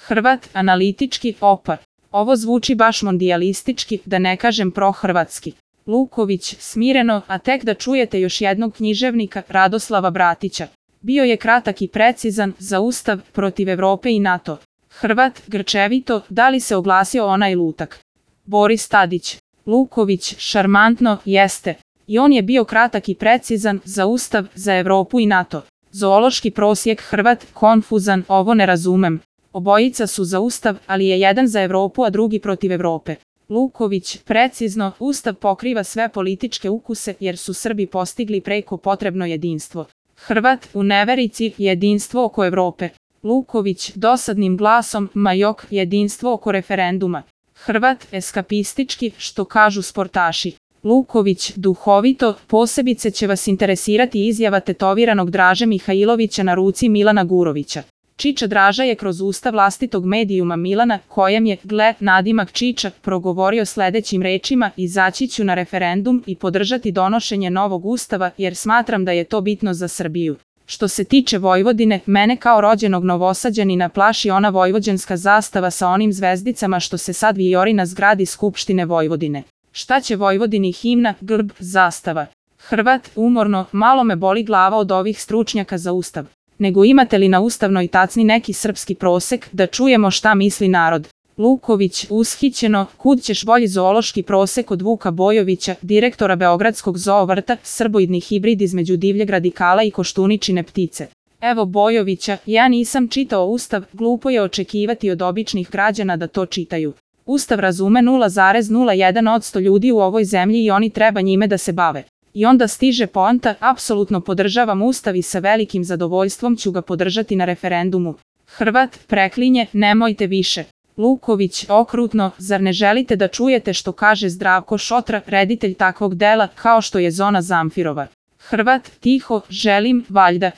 Hrvat, analitički, opa. Ovo zvuči baš mondijalistički, da ne kažem prohrvatski. Luković, smireno, a tek da čujete još jednog književnika, Radoslava Bratića. Bio je kratak i precizan, za Ustav, protiv Evrope i NATO. Hrvat, grčevito, da li se oglasio onaj lutak? Boris Tadić. Luković, šarmantno, jeste. I on je bio kratak i precizan, za Ustav, za Evropu i NATO. Zoološki prosjek Hrvat, konfuzan, ovo ne razumem. Obojica su za Ustav, ali je jedan za Evropu, a drugi protiv Evrope. Luković, precizno, Ustav pokriva sve političke ukuse jer su Srbi postigli preko potrebno jedinstvo. Hrvat, u neverici, jedinstvo oko Evrope. Luković, dosadnim glasom, majok, jedinstvo oko referenduma. Hrvat, eskapistički, što kažu sportaši. Luković, duhovito, posebice će vas interesirati izjava tetoviranog Draže Mihajlovića na ruci Milana Gurovića. Čiča Draža je kroz usta vlastitog medijuma Milana, kojem je, gle, nadimak Čiča, progovorio sledećim rečima: izaći ću na referendum i podržati donošenje novog ustava jer smatram da je to bitno za Srbiju. Što se tiče Vojvodine, mene kao rođenog Novosađanina plaši ona vojvođanska zastava sa onim zvezdicama što se sad vijori na zgradi Skupštine Vojvodine. Šta će Vojvodini himna, grb, zastava? Hrvat, umorno, malo me boli glava od ovih stručnjaka za Ustav. Nego imate li na ustavnoj tacni neki srpski prosek, da čujemo šta misli narod? Luković, ushićeno, kud ćeš bolji zoološki prosek od Vuka Bojovića, direktora Beogradskog zoovrta, srboidni hibrid između divljeg radikala i koštuničine ptice. Evo Bojovića, ja nisam čitao Ustav, glupo je očekivati od običnih građana da to čitaju. Ustav razume 0,01% ljudi u ovoj zemlji i oni treba njime da se bave. I onda stiže poanta, apsolutno podržavam Ustav i sa velikim zadovoljstvom ću ga podržati na referendumu. Hrvat, preklinje, nemojte više. Luković, okrutno, zar ne želite da čujete što kaže Zdravko Šotra, reditelj takvog dela, kao što je Zona Zamfirova? Hrvat, tiho, želim, valjda.